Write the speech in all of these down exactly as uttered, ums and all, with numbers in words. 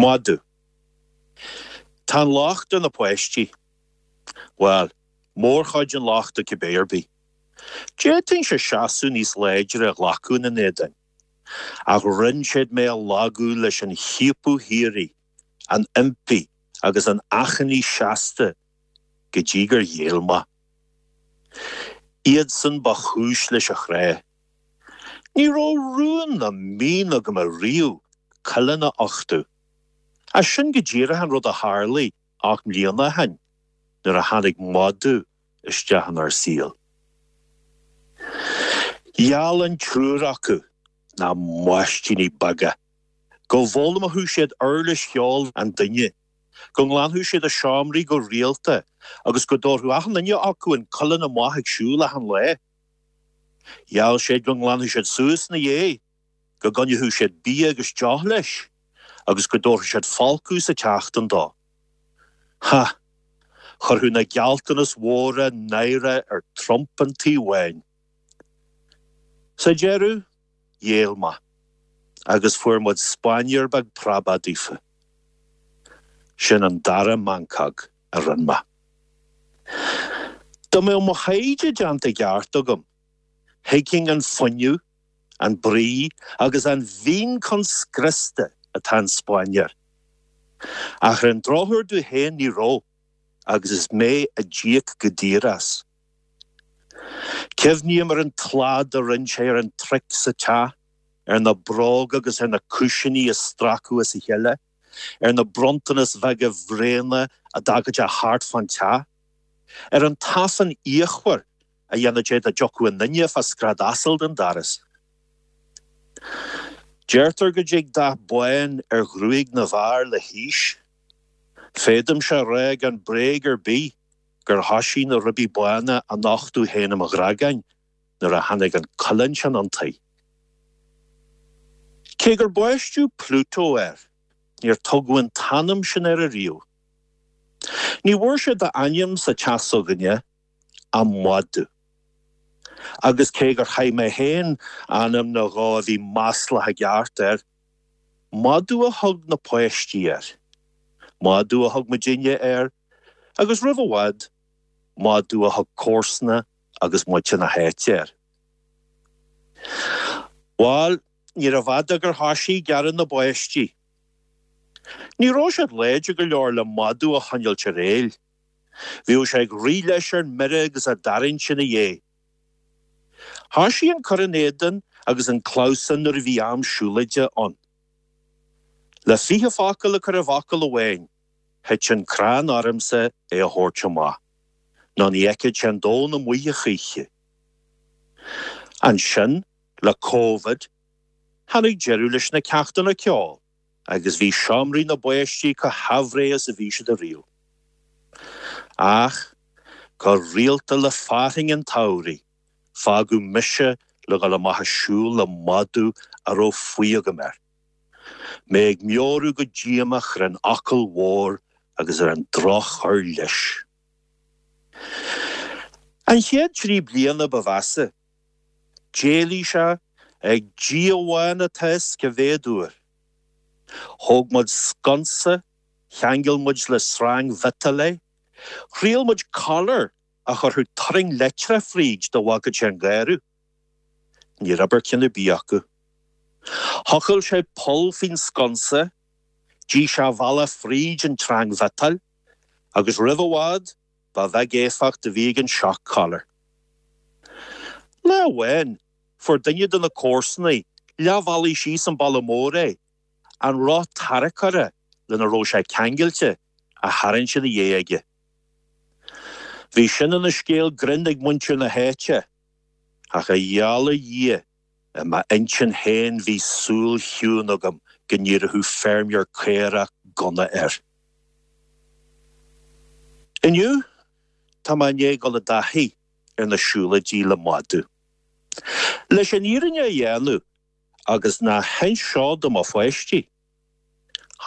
Madadh. Tá an locht ar na páistí. Bhuel, mórchuid an lochta cibé ar bith. D'fhéadfainnse seasamh níos láidre a ghlacadh ina n-éadan. Ach rinne siad mé a lagú leis an chiapadh shíoraí, an impí agus an achainí seasta go dtí gur ghéill mé. Iadsan ba chúis leis an chrá. Ní raibh rún ná mian agam ariamh coileán a uchtú. Ach sin go díreach an rud a tharlaigh ocht mbliana ó shin nuair a tháinig madadh isteach inár saol. Gheall an triúr acu, na maistíní beaga, go bhfoghlaimeodh siad uirlis cheoil an duine, go nglanfadh siad a seomraí go rialta agus go dtabharfadh achan duine acu an coileán amach ag siúl achan lá. Gheall siad go nglanfadh siad suas ina dhiaidh, go gcoinneodh siad bia agus deoch leis, agus go dtabharfadh siad folcadh sa tseachtain dó. Ha! Chuirfeadh na gealltanais mhóra náire ar Trump an Tí Bháin. Sa deireadh, ghéill mé, agus fuair muid spáinnéir beag preabach daofa. Sin an dara meancóg a rinne mé. Dá mbeadh mo thaighde déanta i gceart agam, thuigfinn an fuinneamh, an brí agus an mhian chun scriosta atá an spáinnéir. Ach ar an drochuair domh féin ní raibh, agus is mé a d'íoc go daor as. Cuimhním ar an tslad a rinne sé ar an traic sa teach, ar na bróga agus ar na cúisíní a stracadh as a chéile, ar na bronntanais bheaga bhréana a d'fhágadh sé thart fán teach, ar an tafann fhíochmhar a dhéanadh sé dá dtiocfadh aon duine fá scread asail den doras. Deirtear go dtig dath bán ar ghruaig na bhfear le haois. Féadaimse a rá gan bréag ar bith gur thoisigh na ribí bána a nochtadh féin i mo ghreagáin nuair a tháinig an coileán sin 'un tí. Cé gur baisteadh Pluto air, níor tugadh an t-ainm sin air ariamh. Ní bhfuair sé d'ainm sa teach s'againne ach Madadh. Agus cé gur chaith mé féin ainm nó dhó a bhí maslach i gceart air, Madadh a thug na páistí air. Madadh a thug muidinne air, agus roimh i bhfad, madadh a thug comharsana agus muintir na háite air. Bhail, níorbh fhada gur thoisigh gearradh na báistí. Ní raibh siad láidir go leor le madadh a choinneáilt ar éill. Bhíodh sé ag rith leis ar mire agus á dtarraingt ina dhiaidh. Thoisigh an cur in éadan agus an clamhsán nuair a bhí am siúlóide ann. Le fiche focal a chur i bhfocal amháin, thit an crann ormsa é a thabhairt amach, nó ní fheicfeadh sé an domhan amuigh a choíche. Ansin, le Covid, tháinig deireadh leis na ceachtanna ceoil agus bhí seomraí na bpáistí chomh haimhréidh is a bhí siad ariamh. Ach, go rialta le fearthainn an tsamhraidh, fágadh mise le dhul amach ag siúl le madadh a raibh faoi agam air. Mé ag meabhrú go díomách ar an fhocal mhór agus ar an droch-chur leis. An chéad trí bliana ba mheasa, d'éalaigh sé ag Dia amháin atá fhios cá mhéad uair. Thóg muid sconsa, cheangail muid le sreang mhiotail é, thriail muid collar a chuirfeadh turraing leictreach fríd dá bhfágfadh sé an garradh. Níor oibir ceann ar bith acu. Thochail sé poll faoin sconsa, d'ith sé a bhealach fríd an tsreang mhiotail, agus roimh i bhfad ba bheag éifeacht a bhí ag an shock collar. Lá amháin, fuair duine de na comharsana leath bhealaigh síos an balla mór é, an roth tarracóra lena raibh sé ceangailte á tharraingt ina dhiaidh aige. Bhí sin ina scéal grinn ag muintir na háite, ach a gheall ar Dhia, i m'intinn féin bhí súil chiúin agam go n-iarrfadh feirmeoir caorach gunna air. Inniu, tá mé i ndiaidh dul i dtaithí ar na siúlóidí le madadh. Leis an fhírinne a dhéanamh agus ná hinis seo do mo pháistí,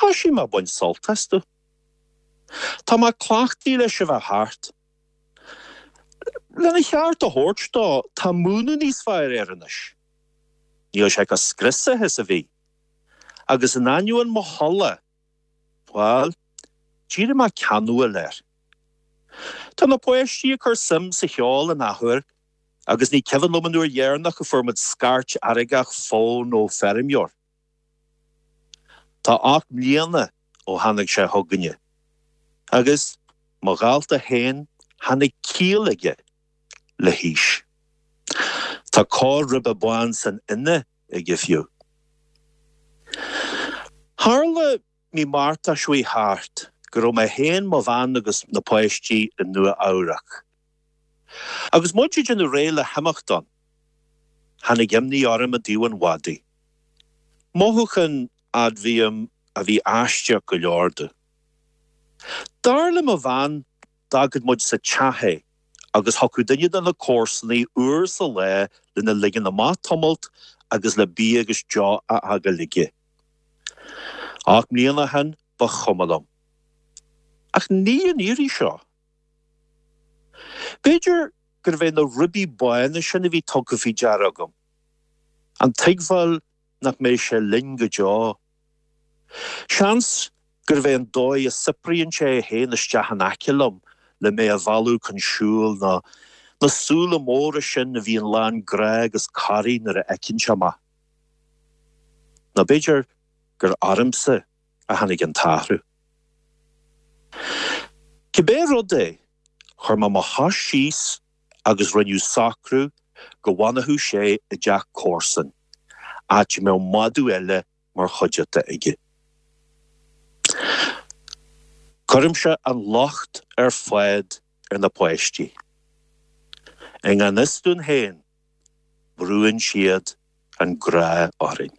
thoisigh mé ag baint sult astu. Tá mé cleachtaithe leis a bheith thart. Lena cheart a thabhairt dó, tá múineadh níos fearr air anois. Níl sé chomh scriosaithe is a bhí. Agus in ainneoin mo thola, Bhuel, d'éirigh mé ceanúil air. Tá na páistí ag cur suim sa cheol an athuair agus ní cuimhin liom an uair dheireanach a fuair muid scairt fheargach fóin ó feirmeoir. Tá ocht mbliana ó tháinig sé chugainne. Agus mo dhalta féin tháinig ciall aige le haois. Tá cor ribe bán san fhine aige fiú. Tharla mí Márta seo chuaigh thart go raibh mé féin, mo bhean agus na páistí i Nua Eabhrac. Agus muid ag déanamh réidh le himeacht ann, tháinig imní orm i dtaobh an mhadaidh. Mothúchán, admhaím, a bhí aisteach go leor domh. Dar le mo bhean, d'fhágfadh muid sa teach é agus thiocfadh duine de na comharsanaí uair sa lá lena ligean amach tamalt agus le bia agus deoch a fhágáil aige. Ocht mbliana ó shin, ba chuma liom. Ach ní an iarraidh seo. B'fhéidir gurbh é na ribí bána sin a bhí tugtha faoi deara agam. An tuigbheáil nach mbeidh sé linn go deo. Seans gurbh é an dóigh a saothraíonn sé é féin isteach in aice liom le mé a mhealladh chun siúil ná na súile móra sin a bhíonn lán grá agus corraí nuair a fheiceann sé mé. Nó b'fhéidir gur ormsa a tháinig an t-athrú. Cibé rud é, chuir mé mo chois síos agus rinneadh socrú go bhfanfadh sé i dteach comharsan, áit a mbeadh madadh eile mar chuideachta aige. Cuirimse an locht ar fad ar na páistí. I ngan fhios dúinn féin, brúann siad an grá orainn.